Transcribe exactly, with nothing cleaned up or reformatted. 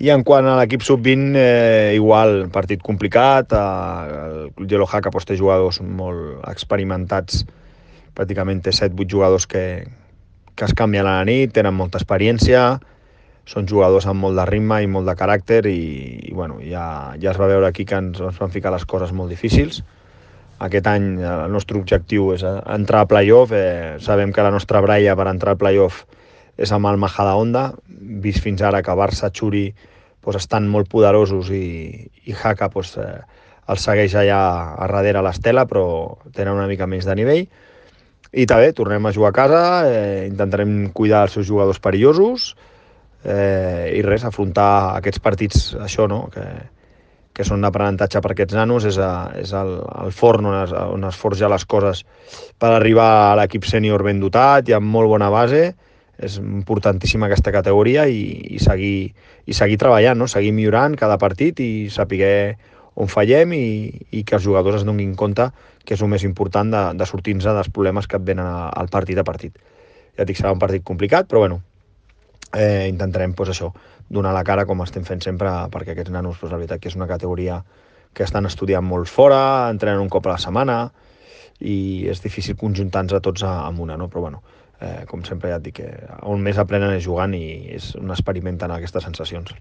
I en quant a l'equip sub vint, eh, igual, partit complicat, eh, el Club Yellow Haka pues, té jugadors molt experimentats, pràcticament té set vuit jugadors que, que es canvien a la nit, tenen molta experiència, són jugadors amb molt de ritme i molt de caràcter i, i bueno, ja, ja es va veure aquí que ens, ens van ficar les coses molt difícils. Aquest any el nostre objectiu és entrar a playoff, eh, sabem que la nostra braia per entrar al playoff és amb el Majadahonda, vist fins ara que Barça, Xuri pues, estan molt poderosos i, i Haka pues, eh, els segueix allà a darrere l'estela, però tenen una mica més de nivell. I també tornem a jugar a casa, eh, intentarem cuidar els seus jugadors perillosos eh, i res, afrontar aquests partits, això, no?, que, que són d'aprenentatge per aquests nanos, és, a, és el, el forn on es, on es forja les coses per arribar a l'equip sènior ben dotat i amb molt bona base. És importantíssima aquesta categoria i, i, seguir, i seguir treballant, no? Seguir millorant cada partit i saber on fallem i, i que els jugadors es donin compte que és el més important de, de sortir-nos dels problemes que et venen al partit a partit. Ja et dic, serà un partit complicat, però bueno, eh, intentarem pues, això, donar la cara com estem fent sempre perquè aquests nanos, pues, la veritat que és una categoria que estan estudiant molt fora, entrenen un cop a la setmana i és difícil conjuntar-nos a tots amb una, no? Però bueno, eh, com sempre ja et dic, que on més aprenen és jugant i és on experimenten aquestes sensacions.